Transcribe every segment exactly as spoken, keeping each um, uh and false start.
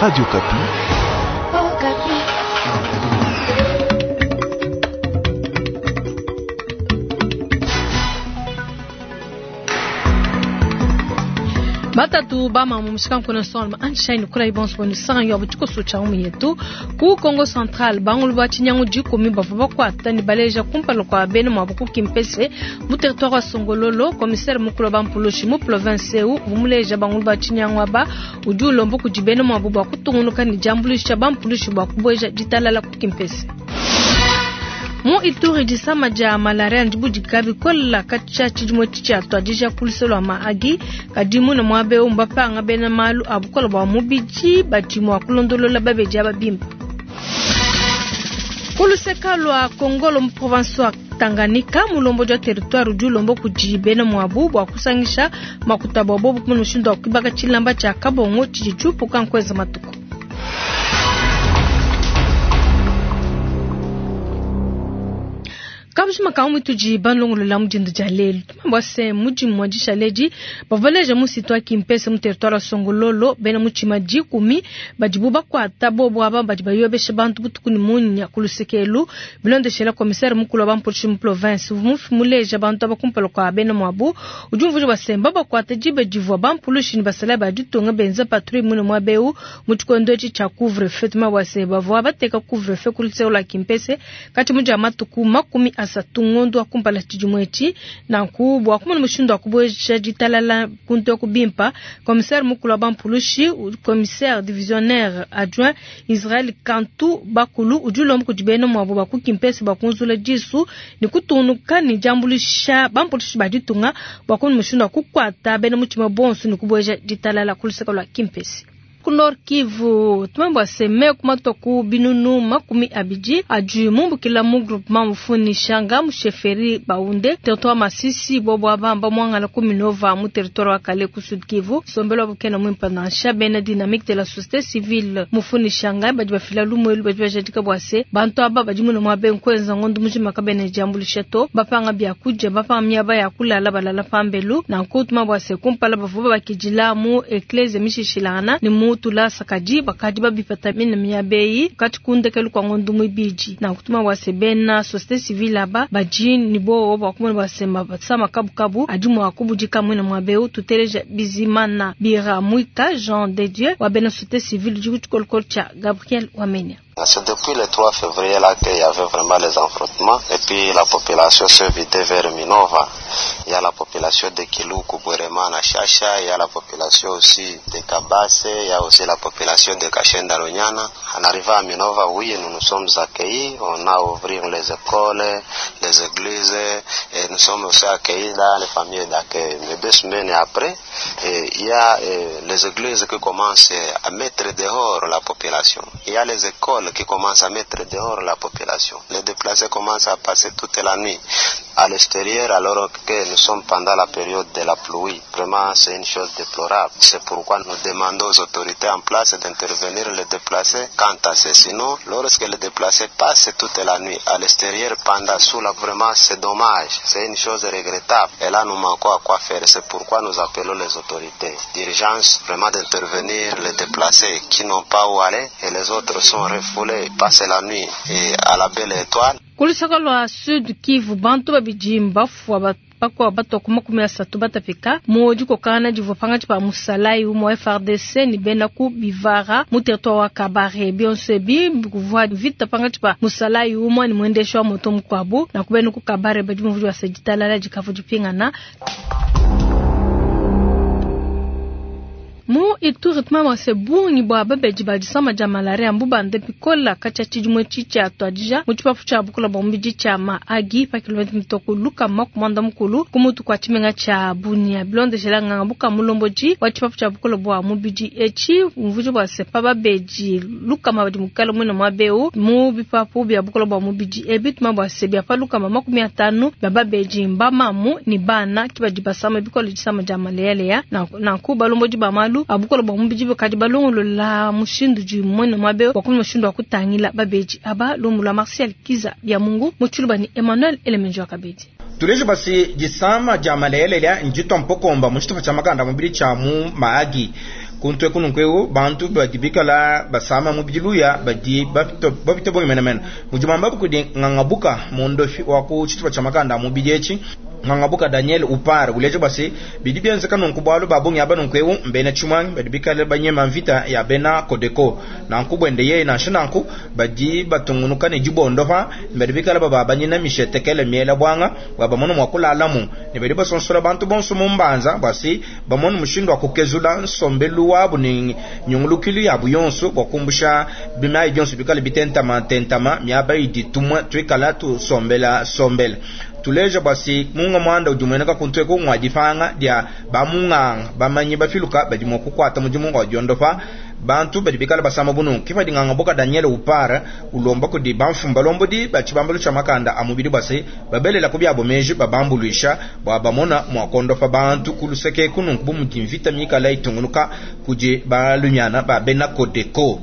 Radio Okapi. Oh, Batatu bama mu solma anshine kula ibonso bonu sanga yo butiko cha umu yetu ku Congo Central bangulu ba chinyangu dikumi bavua bakwata ni baleja kumpala kwa bene mwa buku kimpese mu territoire wa Songololo. Commissaire mukulu ba mpulushi mu province eu vumuleja bangulu ba chinyangu aba udi ulomba kudi bene mwa bu bua kutungunuka ni jambulisha ba mpulushi bua kubueja ditalala ku kimpese. Mu Ituri disama dia malaria ndibudika bikola katshia tshidimu tshia tuadija kuluse lwa Mahagi kadi muna muaba eu mbapanga bena malu a bukola bua mubidi badi mua kulondolola babedi aba bimpe. Kuluseka lwa Kongolo mu province wa Tanganyika mulombo dia territoire udi ulomba kudi bena muabu bua kusangisha makuta bua bobu kumona mushindu wa kuibaka tshilamba tshia kabongo tshidi tshiupuka nkuenza matuku. Kabujima ka tudi balongolola mudindu dia lelu tumambua se mudimu wa dishaledi bavaleja musitu wa kimpese mu territoire wa Songololo bena mutshima dikumi badibu bakwata bobo aba badi bayobesha bantu butuku ni munya kulusekelu bilondeshela commissaire mukulu wa bampolisi mu province muleja bantu abakumpala kwa bena muabu udi umvuja basemba bakwata dibe divua bampulushi ni basala ba ditunga benza patrouille mune muaba eu mu tshikondo etshi tshia couvre-feu. Tumambua se bavua bateka couvre-feu ku luseke lua kimpese kati mudia matuku makumi asatu ngondo wa kumpala tshidimu etshi nanku bua kumona mushindu wa kubueja ditalala kuntu ya kubimpa. Commissaire mukulu wa bampulushi commissaire divisionnaire adjoint Israël Kantu Bakulu udi ulomba kudi bena muabu ba ku kimpese bua kunzula disu ni kutunuka ni diambuluisha bampulushi ba ditunga bua kumona mushindu wa kukuata bena mutshima bonso ni kubueja ditalala ku luseke lua kimpese. Ku Nord Kivu tumambua se kumatoku binunu makumi abidi adi mumbukila mu groupement mufuni shanga mu chefferie Baunde territoire Masisi bobo abamba mwangala ku Minova mu territoire wa Kale ku Sud Kivu sombelo wa bukena mwimpa nansha bena dynamique de la société civile mufuni shanga badi bafila lumwelu badi bajadika bua se bantu aba badi muna muabe nkwenza ngondo mujima kabene jambulisha to bapanga bya kuja bapanga miaba ya kulala balala pambelu nanku tumambua se kumpala bavua bakidila mu eklese mishishilana ni mu tula sakadi bakadi babipata mina miabeyi kati kundekelu kwa ngondo mwibiji na kutuma wase bena société civile aba badi ni bo ba kumona basema basama kabukabu adi mwa kubudika mwina mwabeu tuteleja Bizimana Bira Mwika Jean de Dieu wa bena société civile du kukolkol cha Gabriel Wamenya. C'est depuis le trois février là qu'il y avait vraiment les affrontements et puis la population se vidait vers Minova. Il y a la population de Kiluku, Bweremana, Chacha, il y a la population aussi de Kabase, il y a aussi la population de Kashenda Lunyana. En arrivant à Minova, oui, nous nous sommes accueillis, on a ouvert les écoles, les églises et nous sommes aussi accueillis dans les familles d'accueil. Mais deux semaines après, et il y a et les églises qui commencent à mettre dehors la population. Il y a les écoles qui commencent à mettre dehors la population. Les déplacés commencent à passer toute la nuit à l'extérieur alors que nous sommes pendant la période de la pluie. Vraiment, c'est une chose déplorable. C'est pourquoi nous demandons aux autorités en place d'intervenir les déplacés quant à ce. Sinon, lorsque les déplacés passent toute la nuit à l'extérieur pendant sous la, vraiment, c'est dommage. C'est une chose regrettable. Et là, nous manquons à quoi faire. C'est pourquoi nous appelons les autorités d'urgence vraiment d'intervenir les déplacés qui n'ont pas où aller et les autres sont refoulés, passent la nuit et à la belle étoile. Kulusaka lwa Sud Kivu bantu babidi mbafua bakwa bato makumi asatu batapika mu dikokana divua pangatshi pa musalai umue F R D C ni bena ku bivara mu territoire wa Kabare bionso ebi kuvua vita pangatshi pa musalai umue ni muendeshi wa moto mukuabu na kubena ku Kabare badi muvudi wa seditalala dikavu dipingana. Mu Ituri tumama se bungi bua babedi ba disama dia malaria mbubande bikola katshia tshidimu etshi tshia tuadija mu tshipapu tshia bukola bua mubidi tshia Mahagi pa kilomita mitoko lukama kumanda mukulu ku mutu kua tshimenga tshia Bunia bilondeshela nganga buka mulombodi wa tshipapu tshia bukola bua mubidi etshi umvuji bua se pa babedi lukama badi mukala muina muaba eu mu bipapu bia bukola bua mubidi ebi tuma bua se bia pa lukama makumi atanu bia babedi mbamamu ni bana ki badi basama bikola disama dia malaria nanku balombodi ba malu abukola bua mubidi bakadi balongolola mushindu di mwene mwabe wa kumona mushindu wa kutangila babedi aba lumu lwa Martial Kiza bya Mungu mu tshiluba ni Emmanuel Elemenjo akabedi. Tulejo basi disama dia malaria njito mpokomba mu tshitupa tshia makanda mubili tshia mu Mahagi. Kuntu eku nunku eu bantu badi bikala basama mubidi luya badi bapita bongi menemene. Mudi muambabu kudi Ngangabuka mondofi wa ku tshitupa tshia makanda a mubidi etshi. Ngangabuka Daniel Upar uleja bua se bidi bienzeka nunku bualu ba bungi aba nunku eu mbena tshimuangi badi bikale banyema mvita ya bena Kodeko. Nanku buende yeye nansha nanku badi batungunuka ne dibondopa badi bikale bababanyina mishetekele miela bwanga bua bamone mua kulalamu ne badi basonsola bantu bonso mu mbanza bua se bamone mushindu wa kukezula nsombelu wabu ne nyungulukilu yabu yonso bua kumbusha bimayi bionso bikale bitentama tentama miaba idi tumwe tuikala tusombela sombela. Tuleja bua se munga mwanda udi mueneka kuntu eku ngwa dipanga dia bamunganga bamanyi bafiluka badi mua kukuata mudimu wa diondopa bantu badi bikala basama bunu. Kipadi Ngangabuka Daniel Upara ulomba kudi bamfumu balombodi ba tshibambalu tshia makanda a mubidi bua se babelela ku biabo meji babambuluisha bua bamona mua kondopa bantu ku luseke kununku bu mudi mvita mikala itungunuka kudi balunyana ba bena Kodeko.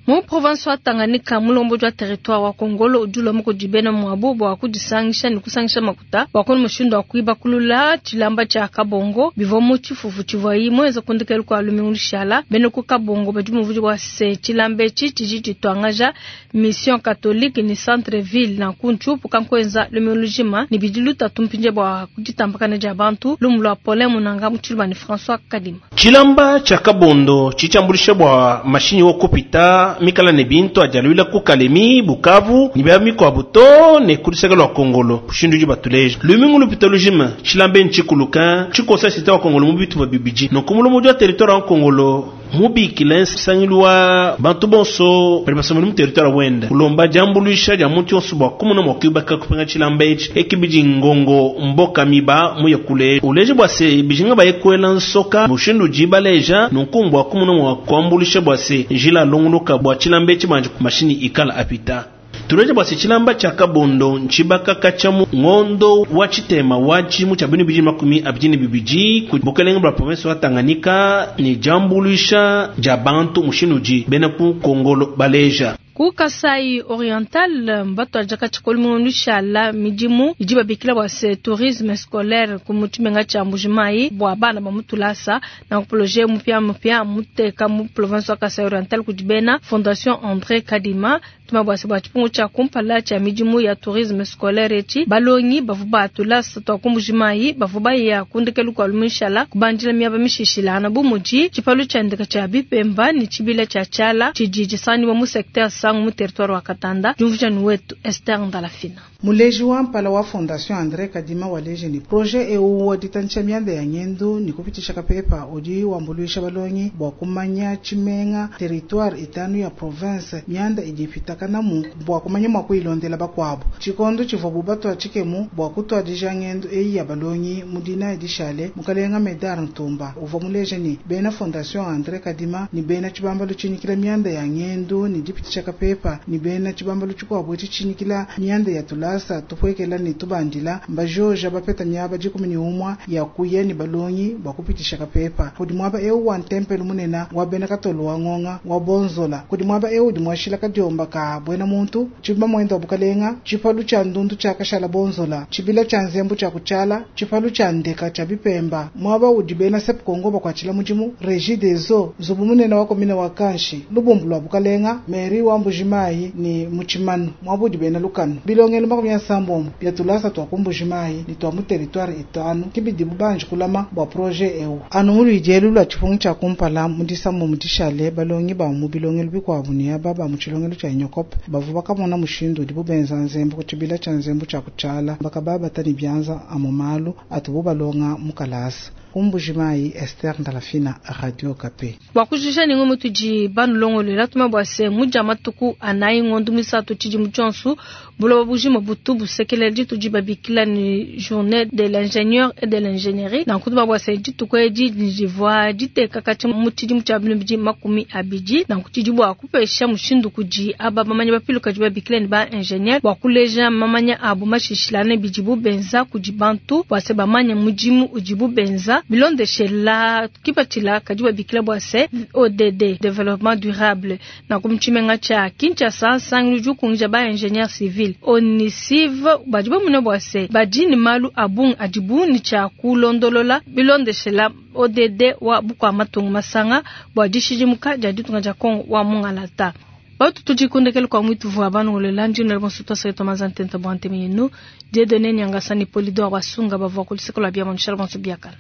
Mu province wa Tanganyika mulombo wa territoire wa Kongolo udi kudi bena muabu bua kudisangisha ne kusangisha makuta bua kono mushindu wa kuiba kulula tshilamba tshia Kabongo bivua mu tshifufu tshivuayi muenza kundikelu kwa lumingu lushala. Bena ku Kabongo badi muvudi wa se tshilamba etshi tshidi tshituangaja mission catholique ni centre ville na kunchu pukankuenza lumingu lujima ni bidi lutatu mpinje bua kuditambakana dia bantu lumu lwa Paulin Munanga mu Tshiluba ni François Kadima. Tshilamba tshia Kabondo tshitshambulisha bua mashinyi wo kupita mikala ne bintu ajaluila ku Kalemi Bukavu ni bya mikwabu to ne kuliseka lwa Kongolo kushindu ji batuleja lumingu lupita lujima tshilambe ntshikuluka tshikosa sita wa Kongolo mu bitu babibiji nokumulomo wa territoire wa Kongolo mubikile nsangilu wa bantu bonso bali basomela mu territoire wenda kulomba jambuluisha ja muntu yonso bua kumuna mua kuibaka kupenga tshilamba etshi ekibidi ngongo mboka miba muye kule uleje bua se bijinga bayekwela nsoka mushindu jibaleja nunku bua kumuna mua kuambulisha bua se njila longoloka bua tshilamba etshi banje mashini ikala apita. Tuleje bua se tshilamba tshia Kabondo ntshibaka katshia ngondo wa tshitema wa tshimu tshia binu bidi makumi abidi ne bibidi ku bukelenge bua province wa Tanganyika ne jambuluisha ja bantu mushindu ji bena ku Kongolo baleja. Ku Kasai Oriental mbatu ajaka tshikolu lushala midimu idi babikila bua se tourisme scolaire ku mutshimenga tshia Mbujimayi bua bana ba mutulasa na projet mupia mupia muteka mu province wa Kasai Oriental kudi bena Fondation André Kadima tuma bua se bua tshipungu tshia kumpala tshia midimu ya tourisme scolaire etshi balongi bavu batulasa twa ku Mbujimayi bavu baya kundekelu kwa lumishala kubandila miaba mishishilana bu mudi tshipalu tshia ndeka tshia bipemba ni tshibila tshia tshiala tshidi tshisanibwa mu secteur sangu mu territoire wa Katanda. Jumvujani wetu Esther Ndalafina. Muleji wa mpala wa Fondation André Kadima waleje ni projet eu wa ditantsha mianda ya ngendu ni kupitisha kapepa udi wambuluisha balongi bua kumanya tshimenga territoire itanu ya province mianda idi ipitakanamu bua kumanya mua kuilondela bakuabu. Tshikondo tshivua bubatwa tshikemu bua kutwadija ngendu eyi ya balongi mu dina edishale mukalenga Medar Ntumba uvua muleje ni bena Fondation André Kadima ni bena tshibambalu tshinyikila mianda ya ngendu ni dipitisha kapepa ni bena tshibambalu tshikuabu tshinyikila mianda ya tulasa tupwekela ni tubandila mbajoja bapeta miaba dikumi ni umwa ya kuya ni balongi bua kupitisha kapepa kudi mwaba eu wa ntempelo munena wa bena katolo wa ngonga wa bonzola kudi mwaba eu udi mwashila kadiomba ka bwena muntu tshibamba mwendo wa bukalenga tshipalu tshia ndundu tshia kashala bonzola tshibila tshia nzembu tshia kutshala tshipalu tshia ndeka tshia bipemba mwaba udi bena sep kongo bakwatshila mudimu Régie des eaux nzubu munene wa komine wa kanshi lubumbu lwa bukalenga meri wa Mbujimayi ni muchimanu mwaba udi bena lukanu bilongelo makumi asambombo bya tulasa twa ku Mbujimayi ni twa mu territoire itanu kibidi bubanji kulama bua projet eu anu mulwijelu lwa tshipungu tshia kumpala mudisambo mudishale balongi ba mu bilongelo bikuabu ni aba ba mu tshilongelo tshia Inyokope bavu bakamona mushindu udi bubenza nzembu ku tshibila tshia nzembu tshia kutshala bakababata ni byanza amu malu atubu balonga mu kalasa. Mbujimayi Esther Ndalafina, Radio Kape. Bua kujisha ningo mutudi banulongolela tuma bua se muja matuku anayi ngondo misatu tshidi tshionso buloba bujima butu busekelela ditudi babikila ni journée de l'ingénieur et de l'ingénierie na kutuba bua se dituku edi divua diteka katshi mu tshidimu tshia bibidi makumi abidi na kutidi bua kupesha mushindu kudi aba bamanya bapiluka di babikila ni ba ingénieur bua kuleja mamanya abu mashishilane bidibu benza kudi bantu bua se bamanya mudimu udibu benza. Bilondeshela kipatshila kadi babikila bua se O D D, développement durable. Nanku mu tshimenga tshia Kinshasa, nsangilu udi ukunguija ba ingénieur civil ONICIV badi bamune bua se badi ne malu a bungi adibu ne tshia kulondolola bilondeshela O D D wa bukua matunga masanga bua dishidimuka dia ditunga dia Kongo wa mungalata. Batu tudikundekele kwa mwitu vua banongolela ndino bonso twasaketwa mazantenta bua nteme yenu Dieudonné Nyangasani Polidor Wasunga bavua kuliseko lwa bia manushela bonso biakana.